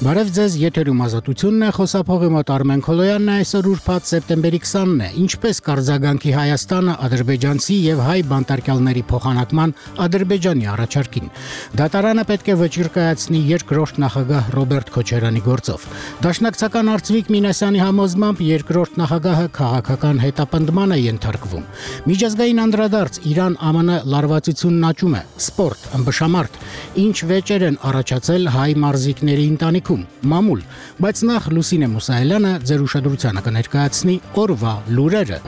Բարև ձեզ, եթերում Ազատությունն է, խոսափողի մոտ Արմեն Քոլոյանն է, այսօր ուրբաթ սեպտեմբերի 20-ն է, ինչպես կարձագանքի Հայաստանը ադրբեջանցի եւ հայ բանտարկյալների փոխանակման Ադրբեջանի առաջարկին։ Դատարանը պետք է վճիռ կայացնի երկրորդ նախագահ Ռոբերտ Քոչարյանի գործով։ Դաշնակցական Արծվիկ Մինասյանի համոզմամբ երկրորդ նախագահը քաղաքական հետապնդման է ենթարկվում։ Միջազգային անդրադարձ Իրան-ԱՄՆ լարվածությունն աճում է, սպորտ, ըմբշամարտ, ինչ վեճեր են առաջացել հայ մարզիկների ընտանիքում, մամուլ, բայց նախ Լուսինե Մուսայելյանը ձեր ուշադրությանը կներկայացնի օրվա լուրերը։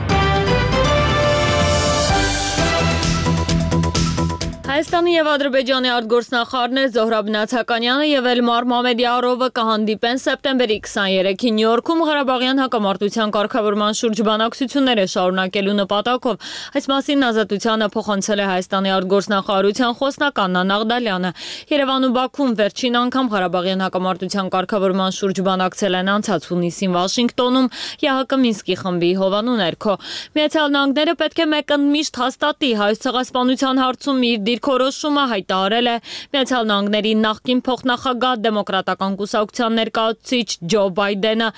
Հայաստանի եւ Ադրբեջանի արտգործնախարարներ Զոհրաբ Նացականյանը եւ Էլմար Մամեդիարովը կհանդիպեն սեպտեմբերի 23-ին Նյու-Յորքում Ղարաբաղյան հակամարտության կարգավորման շուրջ բանակցությունները շարունակելու նպատակով։ Այս մասին Ազատությանը փոխանցել է Հայաստանի արտգործնախարարության խոսնակ Աննա Նաղդալյանը։ Երևանում Բաքվում վերջին անգամ Ղարաբաղյան հակամարտության կարգավորման շուրջ բանակցել են անցած հունիսին Վաշինգտոնում ՀՀԿ Մինսկի խմբի հովանու ներքո։ Միացյալ Նահանգները պետք է մեկընդմիշտ հաստատի հայոց ցեղասպանության հարցում իր դիրքորոշումը հայտարարել է Միացյալ Նահանգների նախկին փոխնախագահ դեմոկրատական կուսակցության ներկայացուցիչ Ջո Բայդենը։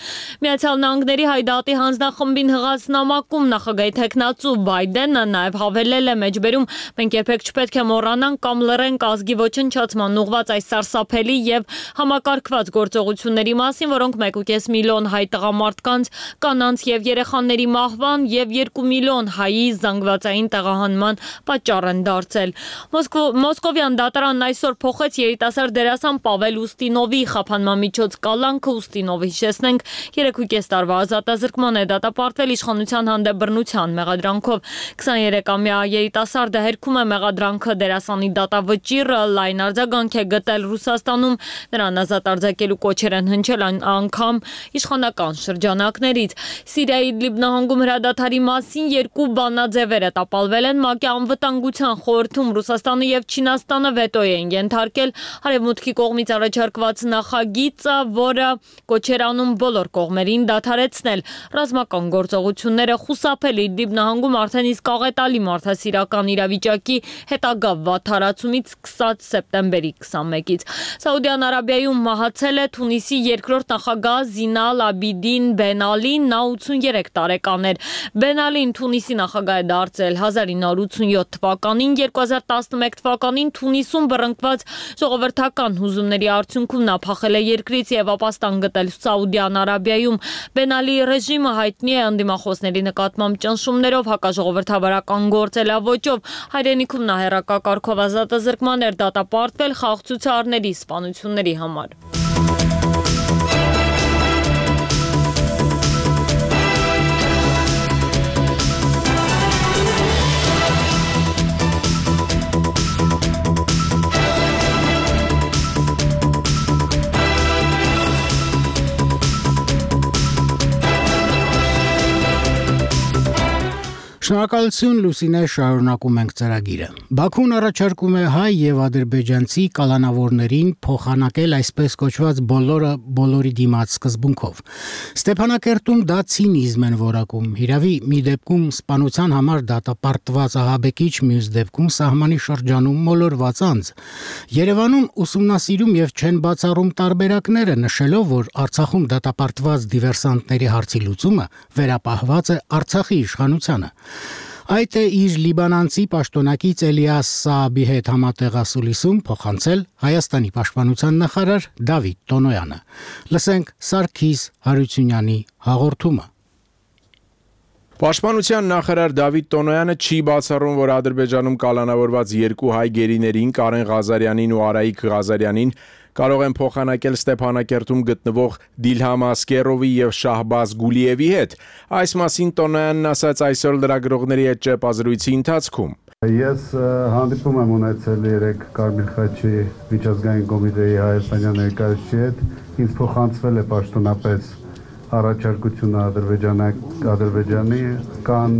Միացյալ Նահանգների Հայդատի հանձնախմբին հղած նամակում նախագահի տեխնացու Բայդենը նաև հավելել է մեջբերում մենք երբեք չպետք է մոռանանք կամ լռենք ազգի ոչնչացման ուղղված այս սարսափելի եւ համակարգված գործողությունների մասին, որոնք 1.5 միլիոն հայ տղամարդկանց, կանանց եւ երեխաների մահվան եւ 2 միլիոն հայի զանգվածային տեղահանման պատճառ են դարձել։ Մոսկովյան դատարանն այսօր փոխեց երիտասարդ դերասան Պավել Ուստինովի խափանման միջոց կալանքը։ Ուստինովը, հիշեցնենք, 3.5 տարվա ազատազրկման է դատապարտվել իշխանության հանդեպ բռնության մեղադրանքով։ 23-ամյա երիտասարդը հերքում է մեղադրանքը դերասանի դատավճիռը լայն արձագանք է գտել Ռուսաստանում, նրան ազատ արձակելու կոչեր են հնչել անգամ իշխանական շրջանակներից։ Սիրիայի Իդլիբ նահանգում հրադադարի մասին երկու բանաձևեր տապալվել են ՄԱԿ-ի անվտանգության խորհրդում։ Ռուսաստանը եւ Չինաստանը վետո են ենթարկել Արևմուտքի կողմից առաջարկված նախագիծը, որը կոչեր անում բոլոր կողմերին դադարեցնել ռազմական գործողությունները, խուսափել Իդլիբ նահանգում արդեն իսկ աղետալի մարդասիրական իրավիճակի հետագա վատթարացումից սկսած սեպտեմբերի 21-ից։ Սաուդյան Արաբիայում մահացել է Թունիսի երկրորդ նախագահ Զինալ Աբիդին Բեն Ալին, նա 83 տարեկան էր։ Բեն Ալին Թունիսի նախագահ է դարձել 1987 թվականին, 2011 թվականին Թունիսում բռնկված ժողովրդական հուզումների արդյունքում նա փախել է երկրից եւ ապաստան գտել Սաուդյան Արաբիայում։ Բեն Ալիի ռեժիմը հայտնի է ընդդիմախոսների նկատմամբ ճնշումներով, հակաժողովրդավարական գործելավոճով։ Հայրենիքում նա հեռակակարգով ազատազրկման էր դատապարտվել խաղաղցուցարների սպանությունների համար։ Շնորհակալություն Լուսինե, շարունակում ենք ծրագիրը։ Բաքուն առաջարկում է հայ եւ ադրբեջանցի կալանավորներին փոխանակել այսպես կոչված բոլորի դիմաց սկզբունքով։ Ստեփանակերտում դա ցինիզմ են որակում։ Հիրավի մի դեպքում սպանության համար դատապարտված ահաբեկիչ, մյուս դեպքում սահմանի շրջանում մոլորված անձ։ Երևանում ուսումնասիրում եւ չեն բացառում տարբերակները, նշելով, որ Արցախում դատապարտված դիվերսանտների հարցի լուծումը վերապահված է Արցախի իշխանությանը։ Այդ է իր լիբանանցի պաշտոնակից Էլիաս Սաաբի հետ համատեղ ասուլիսում փոխանցել Հայաստանի պաշտպանության նախարար Դավիթ Տոնոյանը։ Լսենք Սարգիս Հարությունյանի հաղորդումը։ Պաշտպանության նախարար Դավիթ Տոնոյանը չի բացառում, որ Ադրբեջանում կալանավորված երկու հայ գերիներին Կարեն Ղազարյանին ու Արայիկ Ղազարյանին կարող են փոխանակել Ստեփանակերտում գտնվող Դիլհամ Ասկերովի եւ Շահբազ Գուլիևի հետ։ Այս մասին Տոնոյանն ասաց այսօր լրագրողների հետ ճեպազրույցի ընթացքում։ Ես հանդիպում եմ ունեցել 3 Կարմիր խաչի միջազգային կոմիտեի հայաստանյան ներկայացուցիչի հետ։ Ինձ փոխանցվել է պաշտոնապես առաջարկությունը Ադրբեջանի, կան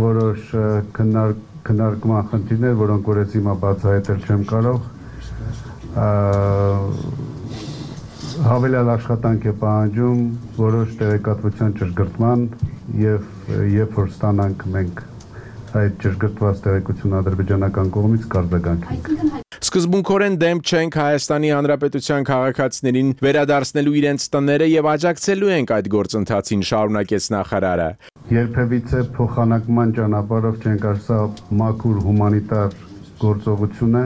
որոշ քննարկման խնդիրներ, որոնք որ ես հիմա բացահայտել չեմ կարող։ Հավելյալ աշխատանք է պահանջում որոշ տեղեկատվության ճշգրտման եւ երբ որ ստանանք մենք այդ ճշգրտված տեղեկությունը ադրբեջանական կողմից կարձագանքենք։ Սկզբունքորեն դեմ չենք Հայաստանի Հանրապետության քաղաքացիներին վերադարձնելու իրենց տները եւ աջակցելու ենք այդ գործընթացին, շարունակեց նախարարը։ Երբևիցե փոխանակման ճանապարհով չենք ասա մաքուր հումանիտար գործողություն է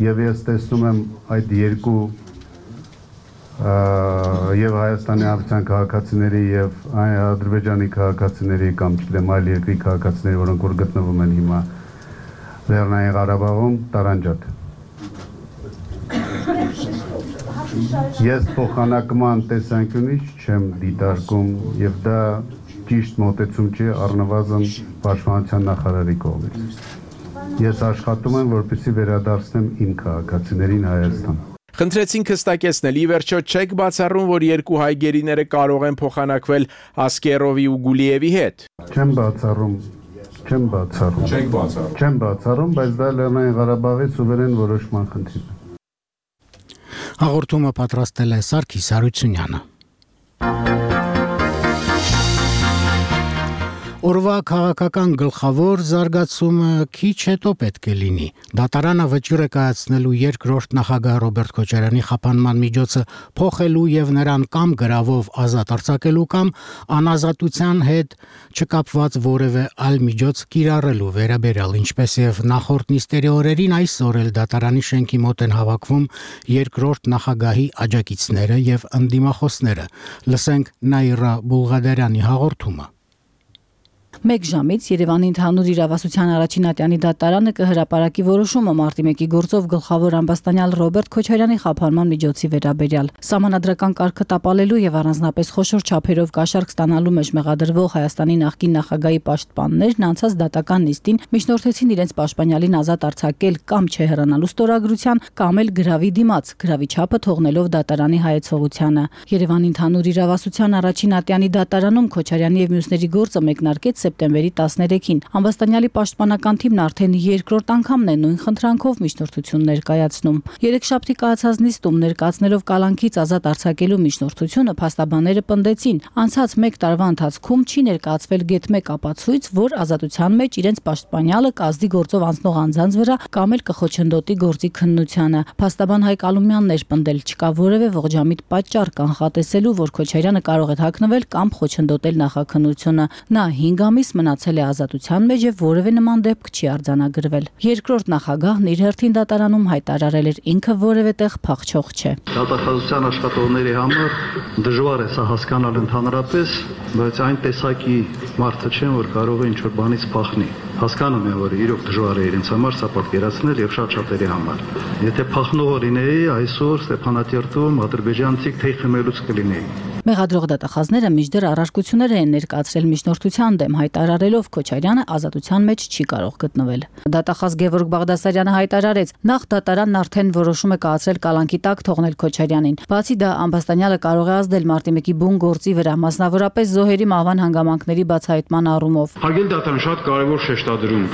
եւ ես տեսնում եմ այդ երկու եւ Հայաստանի Հանրապետության քաղաքացիների եւ Ադրբեջանի քաղաքացիների կամ չգիտեմ այլ երկրի քաղաքացիների, որոնք որ գտնվում են հիմա Լեռնային Ղարաբաղում, տարանջատ։ Ես փոխանակման տեսանկյունից չեմ դիտարկում եւ դա ճիշտ մոտեցում չի առնվազն Պաշտպանության նախարարի կողմից։ Ես աշխատում եմ, որպեսզի վերադարձնեմ իմ քաղաքացիներին Հայաստան։ Խնդրեցինք հստակեցնել, ի վերջո չեք բացառում, որ երկու հայ գերիները կարող են փոխանակվել Ասկերովի ու Գուլիևի հետ։ Չեմ բացառում, բայց դա Լեռնային Ղարաբաղի սուվերեն որոշման խնդիր է։ Հաղորդումը պատրաստել է Սարգիս Հարությունյանը։ Օրվա քաղաքական գլխավոր զարգացումը քիչ հետո պետք է լինի։ Դատարանը վճիռ է կայացնելու երկրորդ նախագահ Ռոբերտ Քոչարյանի խափանման միջոցը փոխելու եւ նրան կամ գրավով ազատ արձակելու կամ անազատության հետ չկապված որևէ այլ միջոց կիրառելու վերաբերյալ, ինչպես եւ նախորդ նիստերի օրերին այսօր էլ դատարանի շենքի մոտ են հավաքվում երկրորդ նախագահի աջակիցները եւ ընդդիմախոսները։ Լսենք Նաիրա Բուլղադարյանի հաղորդումը։ Մեկ ժամից Երևանի ընդհանուր իրավասության առաջին ատյանի դատարանը կհրապարակի որոշումը մարտի 1-ի գործով գլխավոր ամբաստանյալ Ռոբերտ Քոչարյանի խափանման միջոցի վերաբերյալ։ Սահմանադրական կարգը տապալելու եւ առանձնապես խոշոր չափերով կաշառք ստանալու մեջ մեղադրվող Հայաստանի նախկին նախագահի պաշտպաններն անցած դատական նիստին միջնորդեցին իրենց պաշտպանյալին ազատ արձակել կամ չհեռանալու ստորագրության կամ էլ գրավի դիմաց, գրավի չափը թողնելով դատարանի հայեցողությանը։ Երևանի ընդհանուր իրավասության առաջին ատյանի դատարանում Քոչարյանի եւ մյուսների գործը մեկնարկեց սեպտեմբերի 13-ին։ Ամբաստանյալի պաշտպանական թիմն արդեն երկրորդ անգամն է նույն խնդրանքով միջնորդություններ կայացնում։ Երեքշաբթի կայացած նիստում ներկայացնելով կալանքից ազատ արձակելու միջնորդությունը փաստաբանները պնդեցին, անցած 1 տարվա ընթացքում չի ներկայացվել գեթ-1 ապացույց, որ ազատության մեջ իրենց պաշտպանյալը կազդի գործով անցնող անձանց վրա կամ էլ կխոչընդոտի գործի քննությանը։ Փաստաբան Հայկ Ալումյանն էր պնդել, չկա որևէ ողջամիտ պատճառ կանխատեսելու, որ Քոչարյանը կարող է հագնվել կամ խոչընդոտել նախաքննությունը։ Նա 5 ամիս մնացել է ազատության մեջ եւ որևէ նման դեպք չի արձանագրվել։ Երկրորդ նախագահն իր հերթին դատարանում հայտարարել էր ինքը որևէ տեղ փախչող չէ։ Դատախազության աշխատողների համար դժվար է սա հասկանալ ընդհանրապես, բայց այն տեսակի մարդը չեն, որ կարող է ինչ-որ բանից փախնի։ Հասկանում եմ, որ իրոք դժվար է իրենց համար սա պատկերացնել եւ շատ շատերի համար։ Եթե փախնող լինեի, այսօր Ստեփանատերտում ադրբեջանցիք թեյ խմելուց կլինեի։ Մեղադրող դատախազները մինչդեռ առարկություններ են ներկայացրել միջնորդության դեմ, հայտարարելով Քոչարյանը ազատության մեջ չի կարող գտնվել։ Դատախազ Գևորգ Բաղդասարյանը հայտարարեց, նախ դատարանն արդեն որոշում է կայացրել կալանքի տակ թողնել Քոչարյանին։ Բացի դա, ամբաստանյալը կարող է ազդել մարտի 1-ի բուն գործի վրա, մասնավորապես զոհերի մահվան հանգամանքների բացահայտման առումով։ Հարգելի դատարան, շատ կարևոր շեշտադրում։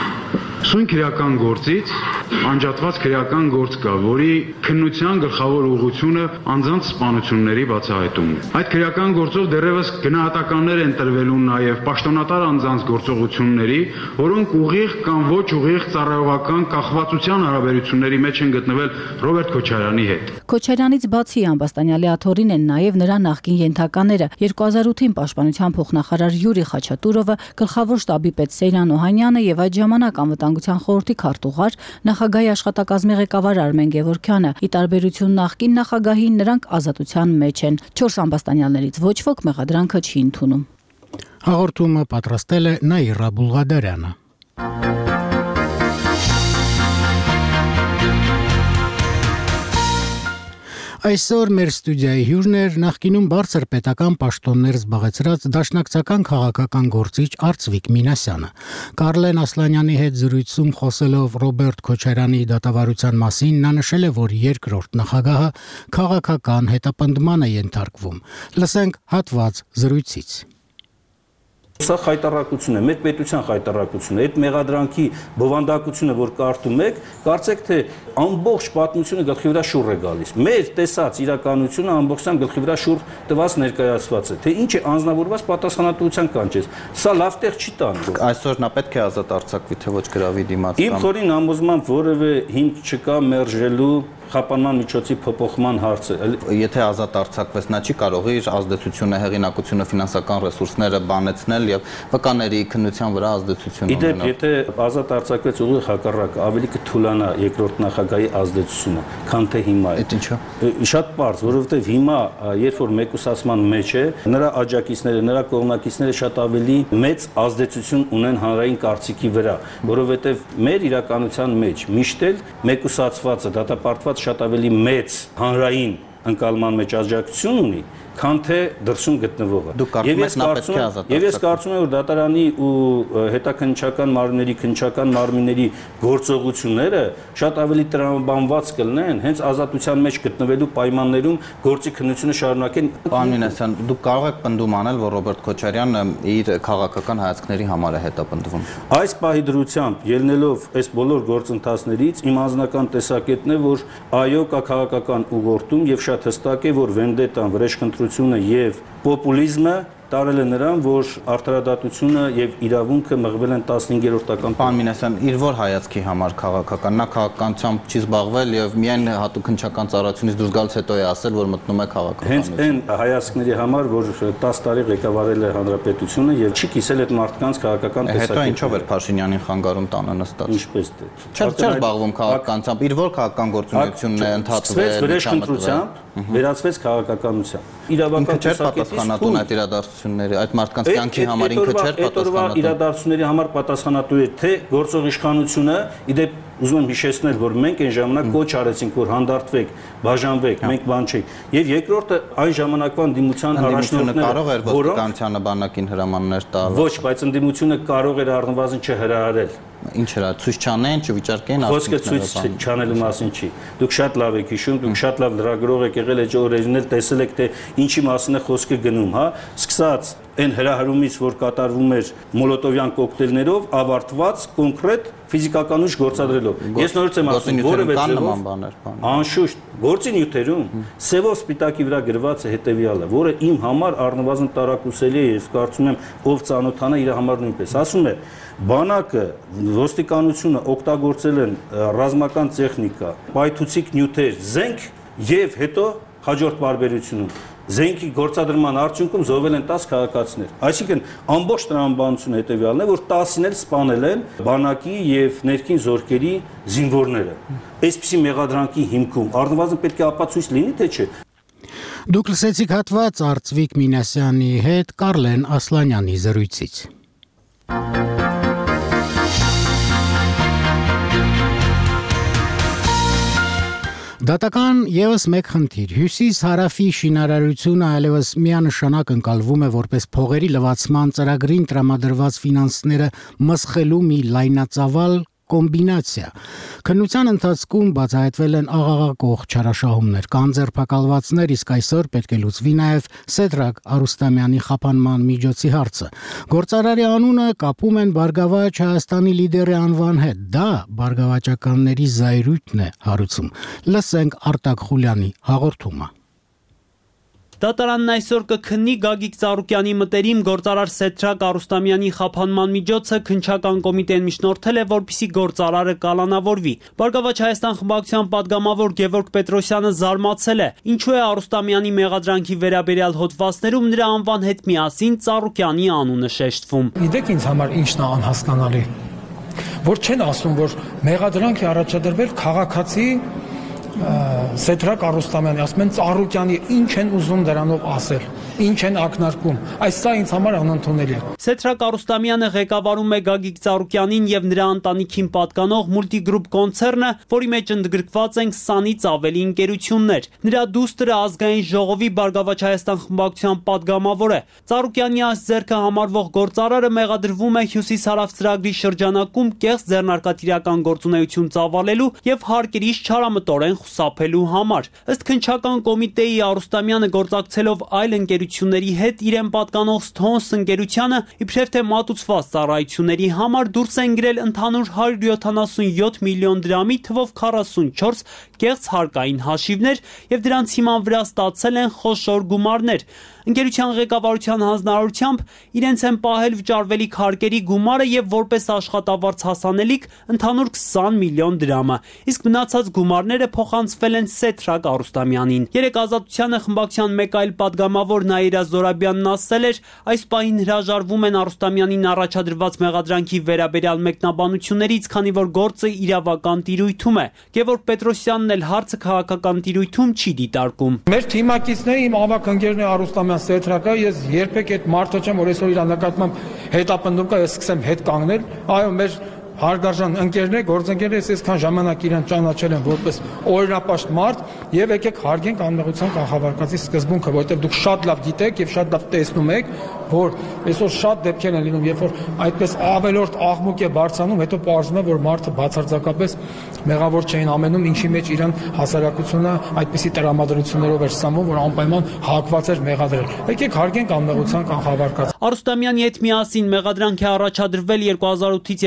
Սույն քրեական գործից անջատված քրեական գործ կա, որի քննության գլխավոր ուղղությունը անձանց սպանությունների բացահայտումն է։ Այդ քրեական գործով դեռևս գնահատականներ են տրվելու նաև պաշտոնատար անձանց գործողությունների, որոնք ուղիղ կամ ոչ ուղիղ ծառայողական կախվածության հարաբերությունների մեջ են գտնվել Ռոբերտ Քոչարյանի հետ։ Քոչարյանից բացի ամբաստանյալի աթոռին են նաև նրա նախկին ենթակաները 2008-ին պաշտպանության փոխնախարար Յուրի Խաչատուրովը, գլխավոր շտաբի պետ Սեյրան Օհանյանը եւ այդ ժամանակ անվտանգության խորհրդի քարտուղար նախագահի աշխատակազմի ղեկավար Արմեն Գևորգյանը։ Ի տարբերություն նախկին նախագահի, նրանք ազատության մեջ են։ 4 ամբաստանյալներից ոչ ոք մեղադրանքը չի ընդունում։ Հաղորդումը պատրաստել է Նաիրա Բուլղադարյանը։ Այսօր մեր ստուդիայի հյուրն էր նախկինում բարձր պետական պաշտոններ զբաղեցրած դաշնակցական քաղաքական գործիչ Արծվիկ Մինասյանը։ Կարլեն Ասլանյանի հետ զրույցում խոսելով Ռոբերտ Քոչարյանի դատավարության մասին նա նշել է, որ երկրորդ նախագահը քաղաքական հետապնդման է ենթարկվում։ Լսենք հատված զրույցից։ Սա խայտառակություն է, մեր պետության խայտառակություն է։ Այդ մեղադրանքի բովանդակությունը, որ կարդում եք, կարծեք թե ամբողջ պատմությունը գլխի վրա շուռ է գալիս։ Մեր տեսած իրականությունը ամբողջությամբ գլխի վրա շուռ տված ներկայացված է, թե ինչ է անձնավորված պատասխանատվության կանչես։ Սա լավ տեղ չի տանում։ Այսօր նա պետք է ազատ արձակվի, թե ոչ գրավի դիմաց։ Իմ խորին համոզմամբ որևէ հիմք չկա մերժելու խափանման միջոցի փոփոխման հարցը։ Եթե ազատ արձակվեց, նա չի կարող իր ազդեցությունը, հեղինակությունը, ֆինանսական ռեսուրսները բանեցնել եւ վկաների քննության վրա ազդեցություն ունենալ։ Իդեպ, եթե ազատ արձակվեց, ուղիղ հակառակը, ավելի կթուլանա երկրորդ նախագահի ազդեցությունը, քան թե հիմա է։ Այդ ինչու։ Շատ պարզ, որովհետեւ հիմա, երբ որ մեկուսացման մեջ է, նրա աջակիցները, նրա կողմնակիցները շատ ավելի մեծ ազդեցություն ունեն հանրային կարծիքի վրա, որովհետեւ մեր իրականության մեջ միշտ էլ մեկուսացվածը, դատապարտված շատ ավելի մեծ հանրային ընկալման մեջ աջակցություն ունի, քան թե դրսում գտնվողը։ Եվ ես կարծում եմ, որ դատարանի ու հետաքննչական մարմինների, քննչական մարմինների գործողությունները շատ ավելի տրամաբանված կլինեն, հենց ազատության մեջ գտնվելու պայմաններում գործի քննությունը շարունակեն։ Պարոն Մինասյան, դուք կարող եք պնդում անել, որ Ռոբերտ Քոչարյանը իր քաղաքական հայացքների համար է հետապնդվում։ Այս պահի դրությամբ ելնելով այս բոլոր գործընթացներից, իմ անձնական տեսակետն է, որ այո, կա քաղաքական ուղղորդում եւ շատ հստակ է, որ վենդետան, վրեժխնդրությունը եւ պոպուլիզմը տարել է նրան, որ արդարադատությունը եւ իրավունքը մղվել են 15-րդական։ Պարոն Մինասյան, իր որ հայացքի համար քաղաքական, նա քաղաքականությամբ չի զբաղվել եւ միայն հատուկ քննչական ծառայությունից դուրս գալուց հետո է ասել, որ մտնում է քաղաքականություն։ Հենց այն հայացքների համար, որ 10 տարի ղեկավարել է հանրապետությունը եւ չի կիսել այդ մարդկանց քաղաքական տեսակետը։ Հետո ինչով էր Փաշինյանին խանգարում տանը նստած։ Ինչպես դե։ Չէր զբաղվում քաղաքականությամբ, իր որ քաղաքական գործունեությունն է ընդհատվել վրեժխնդրությամբ, վերածվեց քաղաքականությամբ։ Իրավական պատասխանատուն այդ իրադարձությունների, այդ մարդկանց կյանքի համար ինքը չէր պատասխանատու։ Իրադարձությունների համար պատասխանատու է թե գործող իշխանությունը, իդեպ ուզում եմ հիշեցնել, որ մենք այն ժամանակ կոչ արեցինք, որ հանդարտվեք, բաժանվեք, մենք բան չենք։ Եվ երկրորդը այն ժամանակվան ընդդիմության առաջնորդները կարող էր ոստիկանությանը բանակին հրամաններ տալ։ Ոչ, բայց ընդդիմությունը կարող էր առնվազն չհրահարել։ Ինչ հրա ցույց չանեն, չվիճարկեն, խոսքը ցույց չանելու մասին չի։ Դուք շատ լավ եք հիշում, դուք շատ լավ լրագրող եք եղել, այդ օրերին էլ տեսել եք, թե ինչի մասին է խոսքը գնում, հա։ Սկսած այն հրահարումից, որ կատարվում էր մոլոտովյան կոկտեյլներով, ավարտված կոնկրետ ֆիզիկական ուժ գործադրելով։ Ես նորից եմ ասում, որևէ ձևով անշուշտ գործի նյութերում սևով սպիտակի վրա գրված է հետևյալը, որը իմ համար առնվազն տարակուսելի է, ես կարծում եմ, ով ծանոթանա իր համար նույնպես։ Ասում է, բանակը, ոստիկանությունը օգտագործել են ռազմական տեխնիկա, պայթուցիկ նյութեր, զենք եւ հետո հաջորդ բարբերությունում զենքի գործադրման արդյունքում զոհվել են 10 քաղաքացիներ։ Այսինքն ամբողջ տրամաբանությունը հետևյալն է, որ 10-ին էլ սպանել են բանակի եւ ներքին զորքերի զինվորները։ Այսպիսի մեղադրանքի հիմքում առնվազն պետք է ապացույց լինի, թե չէ։ Դուք լսեցիք հատված Արծվիկ Մինասյանի հետ Կարլեն Ասլանյանի զրույցից։ Դատական եւս մեկ խնդիր։ Հյուսիս-հարավի շինարարությունը այլևս միանշանակ ընկալվում է որպես փողերի լվացման ծրագրին տրամադրված ֆինանսները մսխելու մի լայնածավալ կոմբինացիա։ Քննության ընթացքում բացահայտվել են աղաղակող չարաշահումներ, կան ձերբակալվածներ, իսկ այսօր պետք է լուծվի նաև Սեդրակ Արուստամյանի խափանման միջոցի հարցը։ Գործարարի անունը կապում են Բարգավաճ Հայաստանի լիդերի անվան հետ։ Դա բարգավաճականների զայրույթն է հարուցում։ Լսենք Արտակ Խուլյանի հաղորդումը։ Դատարանն այսօր կքննի Գագիկ Ծառուկյանի մտերիմ գործարար Սեդրակ Արուստամյանի խափանման միջոցը քննչական կոմիտեն միջնորդել է, որպեսզի գործարարը կալանավորվի։ Բարգավաճ Հայաստան խմբակցության падգամավոր Գևորգ Պետրոսյանը զարմացել է, ինչու է Արուստամյանի մեղադրանքի վերաբերյալ հոդվածներում նրա անվան հետ միասին Ծառուկյանի անունը շեշտվում։ Գիտեք ինձ համար ինչն է անհասկանալի, որ չեն ասում, որ մեղադրանք է առաջադրվել քաղաքացի Սեդրակ Արուստամյանի, ասում են Ծառուկյանի, ինչ են ուզում դրանով ասել, ինչ են ակնարկում, այս սա ինձ համար անընդունելի է։ Սեդրակ Արուստամյանը ղեկավարում է Գագիկ Ծառուկյանին եւ նրա ընտանիքին պատկանող Multigroup կոնցեռնը, որի մեջ ընդգրկված են 20-ից ավելի ընկերություններ։ Նրա դուստրը ազգային ժողովի Բարգավաճ Հայաստան խմբակցության падգամավոր է։ Ծառուկյանի այս ձեռքը համարվող գործարարը մեղադրվում է Հյուսիս-հարավ ծրագրի շրջանակում կեղծ ձեռնարկատիրական գործունեություն ծավալելու եւ հարկերից չարամտորեն խուսափելու ստանալու համար։ Ըստ քննչական կոմիտեի Արուստամյանը գործակցելով այլ ընկերությունների հետ իրեն պատկանող Stones ընկերությանը իբրև թե մատուցված ծառայությունների համար դուրս են գրել ընդհանուր 177 միլիոն դրամի թվով 44 կեղծ հարկային հաշիվներ եւ դրանց հիման վրա ստացել են խոշոր գումարներ։ Ընկերության ղեկավարության հանձնարարությամբ իրենց են պահել վճարվելիք հարկերի գումարը եւ որպես աշխատավարձ հասանելիք ընդհանուր 20 միլիոն դրամը, իսկ մնացած գումարները փոխանցվել են Սեթրակ Արուստամյանին։ Երեք Ազատությանը խմբակցության մեկ այլ падգամավոր Նաիրա Զորաբյանն ասել էր, այս պահին հրաժարվում են Արուստամյանին առաջադրված մեղադրանքի վերաբերյալ մեկնաբանություններից, քանի որ գործը իրավական տիրույթում է։ Գևորգ Պետրոսյանն էլ հարցը քաղաքական տիրույթում չի դիտարկում։ Մեր թիմակիցների իմ ավակ ընկերն է Արուստամյան Սեթրակը, ես երբեք այդ մարդը չեմ, որ այսօր իր նկատմամբ հետապնդում կա, ես սկսեմ հետ կանգնել։ Այո, մեր հարգարժան ընկերներ, գործընկերներ, ես այսքան ժամանակ իրեն ճանաչել եմ որպես օրինապաշտ մարդ եւ եկեք հարգենք անմեղության կանխավարկածի սկզբունքը, որովհետեւ դուք շատ լավ գիտեք եւ շատ լավ տեսնում եք, որ այսօր շատ դեպքեր են լինում, երբ որ այդպես ավելորդ աղմուկ է բարձրանում, հետո պարզվում է, որ մարդը բացարձակապես մեղավոր չէին ամենում, ինչի մեջ իրան հասարակությունը այդպիսի տրամադրություններով էր սամում, որ անպայման հակված էր մեղադրել։ Եկեք հարգենք անմեղության կանխավարկածը։ Արուստամյանի հետ միասին մեղադրանք է առաջադրվել 2008-ից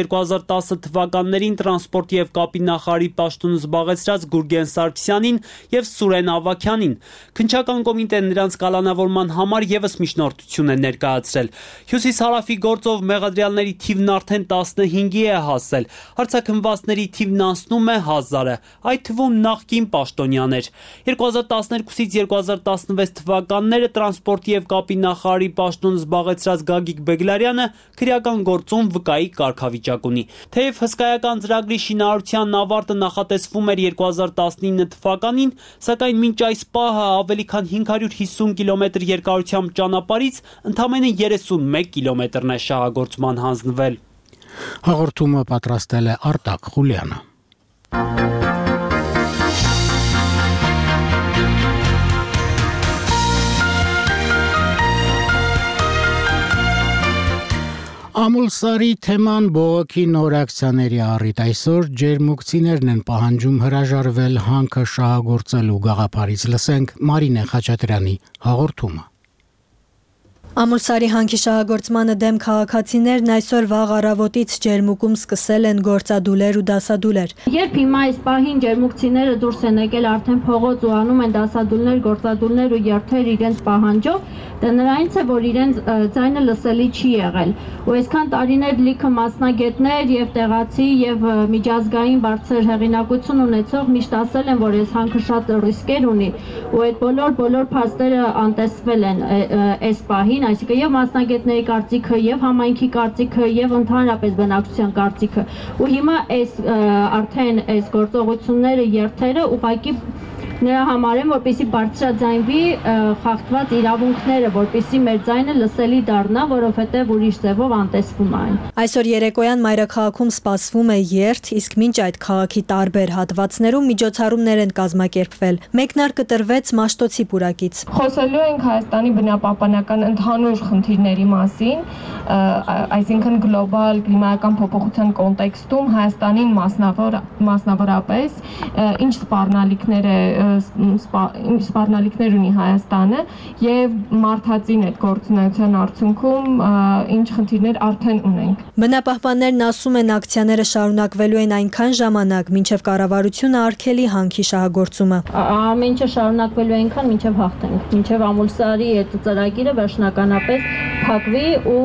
2010 թվականներին տրանսպորտ եւ կապի նախարարի պաշտոնը զբաղեցրած Գուրգեն Սարգսյանին եւ Սուրեն Ավագյանին։ Քննչական կոմիտեն նրանց կալանավորման համար եւս միջնորդություն է ներկայացրել։ Հյուսիս-հարավի գործով մեղադրյալների թիվն արդեն 15-ի է հասել։ Հարցաքննվածների թիվն անցնում է 1000-ը, այդ թվում նախկին պաշտոնյաներ։ 2012-ից 2016 թվականները տրանսպորտի եւ կապի նախարարի պաշտոնը զբաղեցրած Գագիկ Բեգլարյանը քրեական գործում վկայի կարգավիճակ ունի։ Թեև հսկայական ծրագրի շինարարության ավարտը նախատեսվում էր 2019 թվականին, սակայն մինչ այս պահը ավելի քան 550 կիլոմետր երկարությամբ ճանապարհից ընդամենը 31 կիլոմետրն է շահագործման հանձնվել։ Հաղորդումը պատրաստել է Արտակ Խուլյանը։ Ամուլսարի թեման բողոքի նոր ակցիաների առիթ այսօր ջերմուկցիներն են պահանջում հրաժարվել հանքը շահագործելու գաղափարից։ Լսենք Մարինե Խաչատրյանի հաղորդումը։ Ամուլսարի հանքի շահագործմանը դեմ քաղաքացիներն այսօր վաղ առավոտից ջերմուկում սկսել են գործադուլեր ու դասադուլեր։ Երբ հիմա այս պահին ջերմուկցիները դուրս են եկել արդեն փողոց ու անում են դասադուլներ, գործադուլներ ու երթեր իրենց պահանջով, դա նրանից է, որ իրենց ձայնը լսելի չի եղել։ Ու այսքան տարիներ լիքը մասնագետներ եւ տեղացի եւ միջազգային բարձր հեղինակություն ունեցող միշտ ասել են, որ այս հանքը շատ ռիսկեր ունի, ու այդ բոլոր փաստերը անտեսվել են այս պահին, այսինքն եւ մասնագետների կարծիքը, եւ համայնքի կարծիքը, եւ ընդհանրապես բնակչության կարծիքը։ Ու հիմա արդեն այս գործողությունները, երթերը ուղղակի նրա համար են, որպեսզի բարձրաձայնվի խախտված իրավունքները, որպեսզի մեր ձայնը լսելի դառնա, որովհետև ուրիշ ձևով անտեսվում է այն։ Այսօր երեկոյան մայրաքաղաքում սպասվում է երթ, իսկ մինչ այդ քաղաքի տարբեր հատվածներում միջոցառումներ են կազմակերպվել։ Մեկնարկը տրվեց Մաշտոցի պուրակից։ Խոսելու ենք Հայաստանի բնապահպանական ընդհանուր խնդիրների մասին, այսինքն գլոբալ կլիմայական փոփոխության կոնտեքստում Հայաստանին մասնավորապես ինչ սպառնալիքներ ունի Հայաստանը եւ մարդածին այդ գործունեության արդյունքում ինչ խնդիրներ արդեն ունենք։ Բնապահպաններն ասում են ակցիաները շարունակվելու են այնքան ժամանակ, մինչև կառավարությունը արգելի հանքի շահագործումը։ Ամեն ինչը շարունակվելու է այնքան, մինչև հաղթենք, մինչև Ամուլսարի այդ ծրագիրը վերջնականապես փակվի ու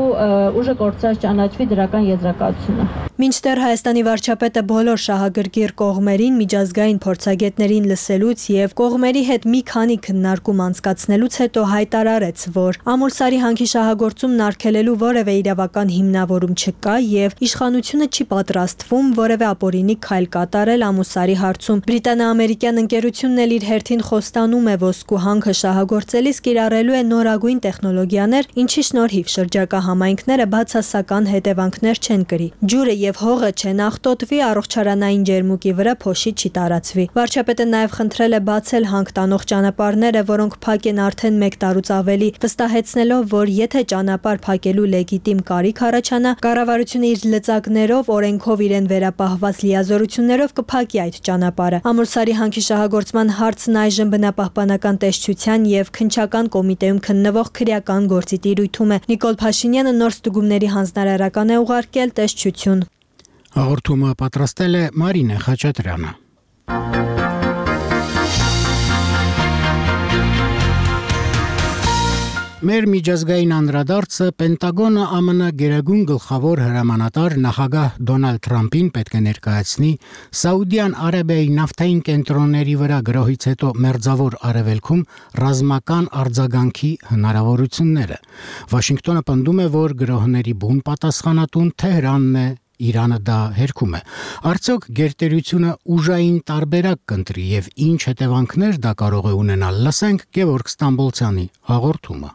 ուժը կորցրած ճանաչվի դրական եզրակացությունը։ Մինչդեռ Հայաստանի վարչապետը բոլոր շահագրգիռ կողմերին միջազգային փորձագետներին լսելուց եւ կողմերի հետ մի քանի քննարկում անցկացնելուց հետո հայտարարեց, որ Ամուլսարի հանքի շահագործումն արգելելու որևէ իրավական հիմնավորում չկա եւ իշխանությունը չի պատրաստվում որևէ ապօրինի քայլ կատարել Ամուլսարի հարցում։ Բրիտանա-ամերիկյան ընկերությունն էլ իր հերթին խոստանում է ոսկու հանքը շահագործելիս կիրառելու է նորագույն տեխնոլոգիաներ, ինչի շնորհիվ շնորհիվ շրջակա համայնքները բացասական հետևանքներ չեն կրի։ Ջուրը եւ հողը չեն աղտոտվի, առողջարանային ջերմուկի վրա փոշի չի տարածվի։ Վարչապետը նաեւ խնդրել է բացել հանք տանող ճանապարհները, որոնք փակ են արդեն 1 տարուց ավելի, վստահեցնելով, որ եթե ճանապարհ փակելու լեգիտիմ կարիք առաջանա, կառավարությունը իր լծակներով, օրենքով իրեն վերապահված լիազորություններով կփակի այդ ճանապարհը։ Ամուլսարի հանքի շահագործման հարցն այժմ բնապահպանական տեսչության եւ քննչական կոմիտեում քննվող քրեական գործի տիրույթում է։ Նիկոլ Փաշինյանը նոր ստուգումների հանձնարարական է ուղարկել տեսչություն։ Հաղորդումը պատրաստել է Մարինե Խաչատրյանը։ Մեր միջազգային անդրադարձը Պենտագոնը ԱՄՆ գերագույն գլխավոր հրամանատար նախագահ Դոնալդ Թրամփին պետք է ներկայացնի Սաուդյան Արաբիայի նավթային կենտրոնների վրա գրոհից հետո մերձավոր արևելքում ռազմական արձագանքի հնարավորությունները։ Վաշինգտոնը պնդում է, որ գրոհների բուն պատասխանատուն Թեհրանն է, Իրանը դա հերքում է։ Արդյոք գերտերությունը ուժային տարբերակ կընտրի եւ ինչ հետևանքներ դա կարող է ունենալ։ Լսենք Գևորգ Ստամբոլցյանի հաղորդումը։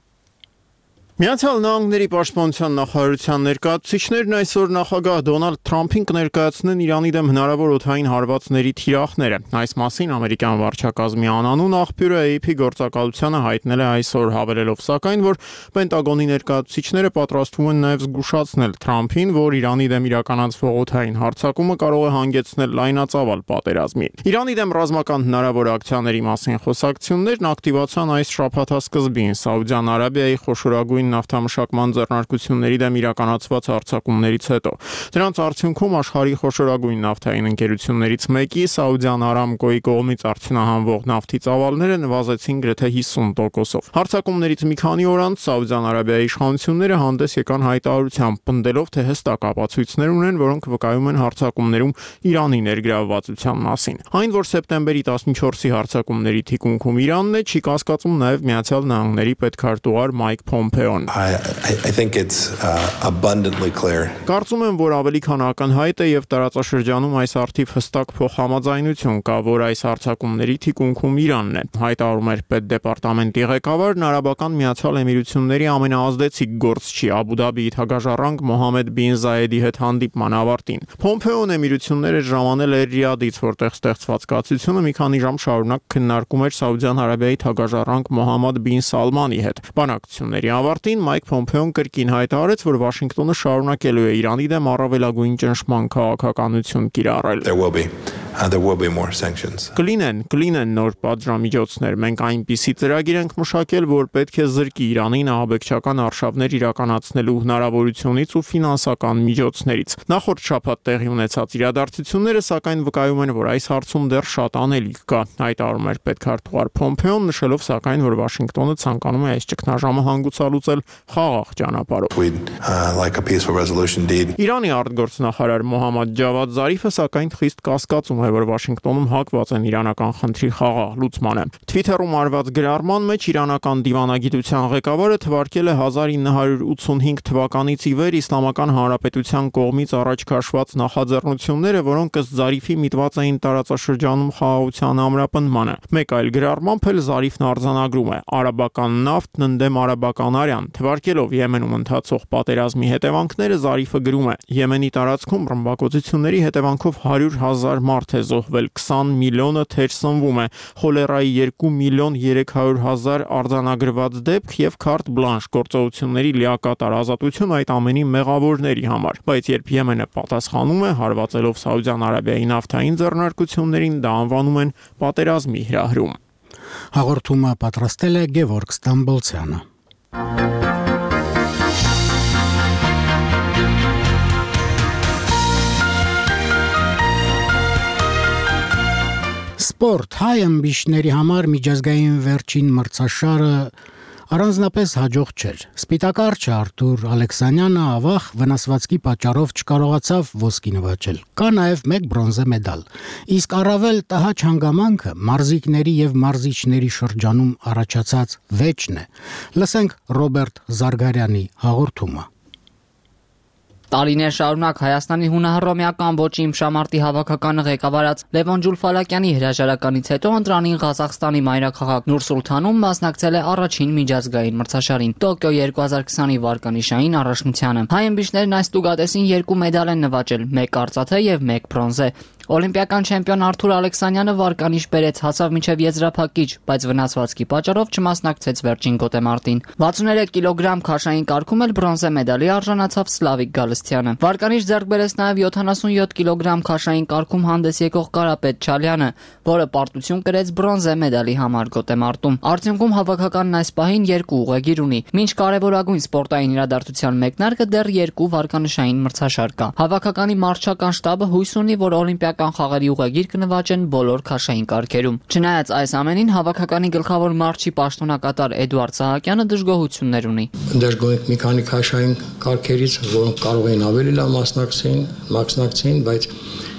Միացյալ Նահանգների պաշտպանության նախարարության ներկայացուցիչներն այսօր նախագահ Դոնալդ Թրամփին կներկայացնեն Իրանի դեմ հնարավոր օդային հարվածների թիրախները։ Այս մասին ամերիկյան վարչակազմի անանուն աղբյուրը AP գործակալությանը հայտնել է այսօր, հավելելով սակայն, որ Պենտագոնի ներկայացուցիչները պատրաստվում են նաև զգուշացնել Թրամփին, որ Իրանի դեմ իրականացվող օդային հարձակումը կարող է հանգեցնել լայնածավալ պատերազմի։ Իրանի դեմ ռազմական հնարավոր ակցիաների մասին խոսակցություններն ակտիվացան այս շաբաթասկզբին Սաուդյան Արաբիայի խոշորագույն նավթամշակման ձեռնարկությունների դեմ իրականացված հարձակումներից հետո։ Դրանց արդյունքում աշխարհի խոշորագույն նավթային ընկերություններից մեկի Saudi Aramco-ի կողմից արդյունահանվող նավթի ծավալները նվազեցին գրեթե 50%-ով։ Հարձակումներից մի քանի օր անց Սաուդյան Արաբիայի իշխանությունները հանդես եկան հայտարարությամբ, պնդելով, թե հստակ ապացույցներ ունեն, որոնք վկայում են հարձակումներում Իրանի ներգրավվածության մասին։ Այն, որ սեպտեմբերի 14-ի հարձակումների թիկունքում Իրանն է, չի կասկածում նաև Միացյալ Նահանգների պետքարտուղար Մայք Փոմփեոն։ I think it's abundantly clear. Կարծում եմ, որ ավելի քան ակնհայտ է եւ տարածաշրջանում այս արդիվ հստակ փոխհամաձայնություն կա, որ այս հարձակումների թիկունքում Իրանն է։ Հայտարարում էր պետդեպարտամենտի ղեկավարն Արաբական Միացյալ Էմիրությունների ամենաազդեցիկ գործչի Աբու Դաբիի թագաժառանգ Մոհամմեդ բին Զայեդի հետ հանդիպման ավարտին։ Փոմփեոն Էմիրությունները ժամանել էր Ռիադից, որտեղ ստեղծված կացությունը մի քանի ժամ շարունակ քննարկում էր Սաուդյան Արաբիայի թագաժառանգ Մոհամմեդ բին Սալմանի հետ։ Բանակցությունների ավարտին Մայք Փոմփեոն կրկին հայտարարեց, որ Վաշինգտոնը շարունակելու է Իրանի դեմ առավելագույն ճնշման քաղաքականություն կիրառել։ There will be more sanctions. Կլինեն նոր պատժամիջոցներ։ Մենք այնպիսի ծրագիր ենք մշակել, որ պետք է զրկի Իրանին ահաբեկչական արշավներ իրականացնելու հնարավորությունից ու ֆինանսական միջոցներից։ Նախորդ շաբաթ տեղի ունեցած իրադարձությունները սակայն վկայում են, որ այս հարցում դեռ շատ անելիք կա։ Հայտարարում էր պետքարտուղար Փոմփեոն, նշելով սակայն, որ Վաշինգտոնը ցանկանում է այս ճգնաժամը հանգուցալուծել խաղաղ ճանապարհով։ Իրանի արտգործնախարար Մոհամմադ Ջավադ Զարիֆը սակայն խիստ կասկածում է, որ Վաշինգտոնում հակված են իրանական խնդրի խաղաղ լուծմանը։ Թվիթերում արված գրառման մեջ իրանական դիվանագիտության ղեկավարը թվարկել է 1985 թվականից ի վեր Իսլամական Հանրապետության կողմից առաջ քաշված նախաձեռնությունները, որոնք ըստ Զարիֆի միտված էին տարածաշրջանում խաղաղության ամրապնդմանը։ Մեկ այլ գրառմամբ էլ Զարիֆն արձանագրում է. արաբական նավթն ընդդեմ արաբական արյան։ Թվարկելով Եմենում ընթացող պատերազմի հետևանքները Զարիֆը գրում է. Եմենի տարածքում ռմբակոծությունների հետևանքով 100,000 մարդ է զոհվել, 20 միլիոնը թեր սնվում է, խոլերայի 2 միլիոն 300,000 արձանագրված դեպք եւ քարտ բլանշ գործողությունների լիակատար ազատություն այդ ամենի մեղավորների համար։ Բայց երբ Եմենը պատասխանում է հարվածելով Սաուդյան Արաբիայի նավթային ձեռնարկություններին, դա անվանում են պատերազմի հրահրում։ Հաղորդումը պատրաստել է Գևորգ Ստամբոլցյանը։ Սպորտ հայ ըմբիշների համար միջազգային վերջին մրցաշարը առանձնապես հաջող չէր։ Սպիտակարչը Արթուր Ալեքսանյանը ավաղ վնասվածքի պատճառով չկարողացավ ոսկի նվաճել։ Կա նաև 1 բրոնզե մեդալ։ Իսկ առավել տհաճ հանգամանքը մարզիկների եւ մարզիչների շրջանում առաջացած վեճն է։ Լսենք Ռոբերտ Զարգարյանի հաղորդումը։ Տարիներ շարունակ Հայաստանի հունահռոմեական ոճի իմշամարտի հավաքականը ղեկավարած Լևոն Ջուլֆալակյանի հրաժարականից հետո ընտրանին Ղազախստանի մայրաքաղաք Նուր-Սուլթանում մասնակցել է առաջին միջազգային մրցաշարին Տոկիո 2020-ի վարկանիշային առաջնությանը։ Հայ ըմբիշներն այս տուգատեսին 2 մեդալ են նվաճել՝ 1 արծաթե եւ 1 բրոնզե։ Օլիմպիական չեմպիոն Արթուր Ալեքսանյանը վարկանիշ բերեց, հասավ մինչև եզրափակիչ, բայց վնասվածքի պատճառով չմասնակցեց վերջին գոտեմարտին։ 63 կիլոգրամ քաշային կարգում էլ բրոնզե մեդալի արժանացավ Սլավիկ Գալստյանը։ Վարկանիշ ձեռք բերեց նաև 77 կիլոգրամ քաշային կարգում հանդես եկող Կարապետ Չալյանը, որը պարտություն կրեց բրոնզե մեդալի համար գոտեմարտում։ Արդյունքում հավաքականն այս պահին 2 ուղեգիր ունի։ Մինչ կարևորագույն սպորտային իրադարձության մեկնարկը դեռ 2 վարկանիշային մրցաշար կա։ Հավաքականի մարզչական շտաբը հույս ունի, որ օլիմպիական խաղերի ուղեգիր կնվաճեն բոլոր քաշային կարգերում։ Չնայած այս ամենին, հավաքականի գլխավոր մարզչի պաշտոնակատար Էդուարդ Սահակյանը դժգոհություններ ունի։ Դժգոհ մի քանի քաշային կարգերից, որոնք կարող էին ավելի լավ մասնակցեին, բայց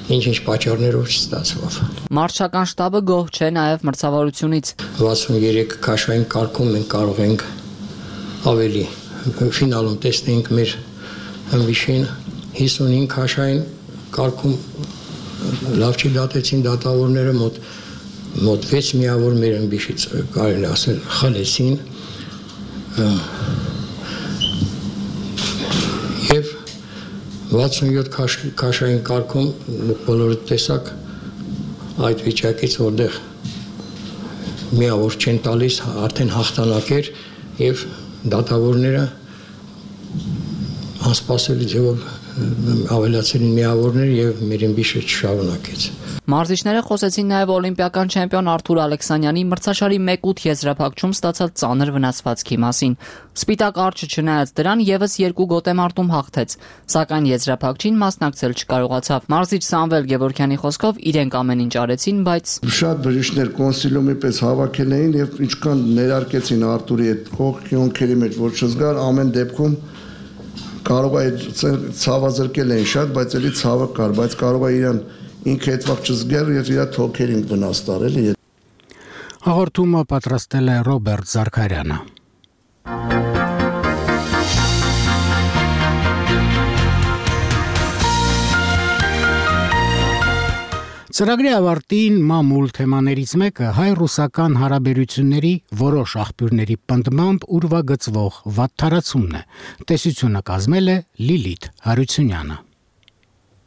ինչ պատճառներով չստացվավ։ Մարզչական շտաբը գոհ չէ նաև մրցավարությունից։ 63 քաշային կարգում մենք կարող ենք ավելի ֆինալում տեսնենք մեր ըմբիշին 55 քաշային կարգում լավ չի դատեցին դատավորները մոտ 6 միավոր մեր ըմբիշից կարելի ասել խլեցին եւ 67 քաշային կարգում բոլորը տեսակ այդ վիճակից որտեղ միավոր չեն տալիս արդեն հաղթանակ էր եւ դատավորները անսպասելի ձևով ավելացրին միավորներ եւ մեր ըմբիշը չշարունակեց։ Մարզիչները խոսեցին նաև օլիմպիական չեմպիոն Արթուր Ալեքսանյանի մրցաշարի 1/8 եզրափակում ստացած ծանր վնասվածքի մասին։ Սպիտակ արջը չնայած դրան եւս 2 գոտեմարտում հաղթեց, սակայն եզրափակչին մասնակցել չկարողացավ։ Մարզիչ Սամվել Գևորգյանի խոսքով իրենք ամեն ինչ արեցին, բայց շատ բժիշկներ կոնսիլիումի պես հավաքել էին եւ ինչքան ներարկեցին Արթուրի այդ կողքյոնքերի մեջ, որ չզգար ամեն դեպքում կարող է ցավազրկել են շատ, բայց էլի ցավը կար, բայց կարող է իրան ինքը այդ վաղ չզգեր եւ իր թոքերին վնաս տարել։ Հաղորդումը պատրաստել է Ռոբերտ Զարքարյանը։ Ծրագրի ավարտին մամուլ թեմաներից մեկը հայ-ռուսական հարաբերությունների որոշ աղբյուրների պնդմամբ ուրվագծվող վատթարացումն է։ Տեսությունը կազմել է Լիլիթ Հարությունյանը։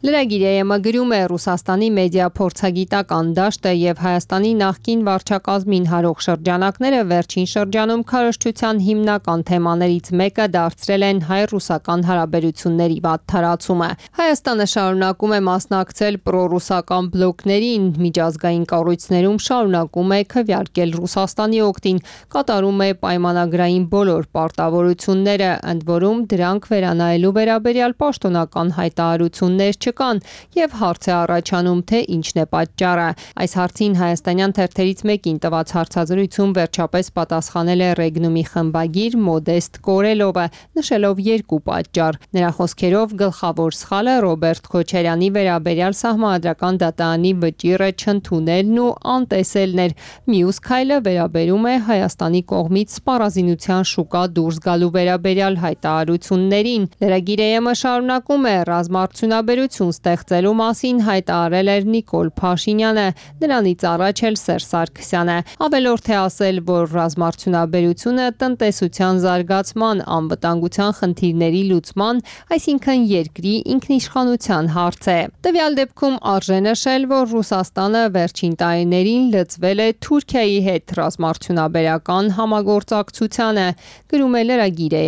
Լրագիրը գրում է Ռուսաստանի մեդիա փորձագիտական դաշտը եւ Հայաստանի նախկին վարչակազմին հարող շրջանակները վերջին շրջանում քարոզչության հիմնական թեմաներից մեկը դարձրել են հայ-ռուսական հարաբերությունների վատթարացումը։ Հայաստանը շարունակում է մասնակցել պրոռուսական բլոկներին, միջազգային կառույցներում շարունակում է քվեարկել Ռուսաստանի օգտին, կատարում է պայմանագրային բոլոր պարտավորությունները, ընդ որում դրանք վերանայելու վերաբերյալ պաշտոնական հայտարարություններ կան եւ հարց է առաջանում թե ինչն է պատճառը։ Այս հարցին հայաստանյան թերթերից մեկին տված հարցազրույցում վերջապես պատասխանել է Ռեգնումի խմբագիր Մոդեստ Կորելովը, նշելով 2 պատճառ։ Նրա խոսքերով գլխավոր սխալը Ռոբերտ Քոչարյանի վերաբերյալ սահմանադրական դատարանի վճիռը չընդունելն ու անտեսելն էր։ Մյուս քայլը վերաբերում է Հայաստանի կողմից սպառազինության շուկա դուրս գալու վերաբերյալ հայտարարություններին։ Լրագիրը շարունակում է ռազմարտությունաբերություն ստեղծելու մասին հայտարարել էր Նիկոլ Փաշինյանը, նրանից առաջ էլ Սերժ Սարգսյանը։ Ավելորդ է ասել, որ ռազմարտությունաբերությունը տնտեսության զարգացման, անվտանգության խնդիրների լուծման, այսինքն երկրի ինքնիշխանության հարց է։ Տվյալ դեպքում արժե նշել, որ Ռուսաստանը վերջին տարիներին լծվել է Թուրքիայի հետ ռազմարտությունաբերական համագործակցությանը, գրում է լրագիրը։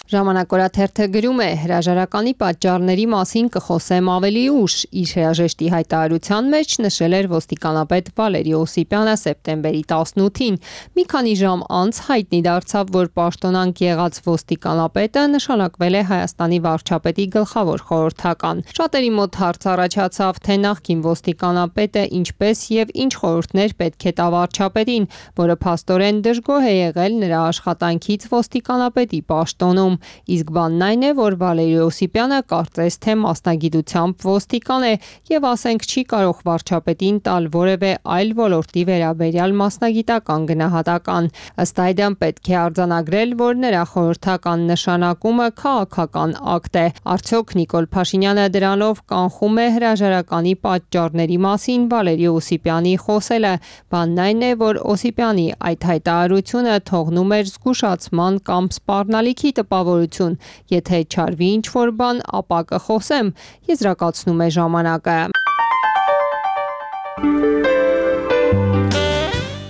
Ժամանակորաթերթը գրում է. հրաժարականի պատճառների մասին կխոսեմ ավելի ուշ։ Իր հրաժեշտի հայտարարության մեջ նշել էր ոստիկանապետ Վալերի Օսիպյանը սեպտեմբերի 18-ին։ Մի քանի ժամ անց հայտնի դարձավ, որ պաշտոնանկ եղած ոստիկանապետը նշանակվել է Հայաստանի վարչապետի գլխավոր խորհրդական։ Շատերի մոտ հարց առաջացավ, թե նախկին ոստիկանապետը ինչպես եւ ինչ խորհուրդներ պետք է տա վարչապետին, որը փաստորեն դժգոհ է եղել նրա աշխատանքից ոստիկանապետի պաշտոնում։ իսկ բանն այն է, որ Վալերի Օսիպյանը կարծես թե մասնագիտությամբ ոստիկան է եւ ասենք չի կարող վարչապետին տալ որևէ այլ ոլորտի վերաբերյալ մասնագիտական գնահատական։ Ըստ այդմ պետք է արձանագրել, որ նրա խորհրդական նշանակումը քաղաքական ակտ է։ Արդյոք Նիկոլ Փաշինյանը դրանով կանխում է հրաժարականի պատճառների մասին Վալերի Օսիպյանի խոսելը։ Բանն այն է, որ Օսիպյանի այդ հայտարարությունը թողնում էր զգուշացման կամ սպառնալիքի տպավորություն։ Եթե չարվի ինչ-որ բան, ապա կխոսեմ, եզրակացնում է ժամանակը։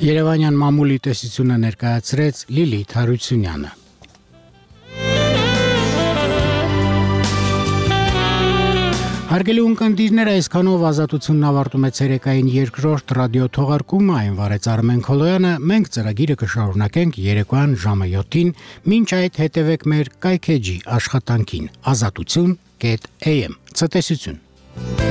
Երևանյան մամուլի տեսությունը ներկայացրեց Լիլիթ Հարությունյանը։ Հարգելի ունկնդիրներ, այսքանով ազատությունն ավարտում է ցերեկային երկրորդ ռադիո թողարկումը, այն վարեց Արմեն Քոլոյանը, մենք ծրագիրը կշարունակենք երեկոյան ժամը 7-ին, մինչ այդ հետևեք մեր կայքեջի աշխատանքին, azatutsun.am, ցտեսություն։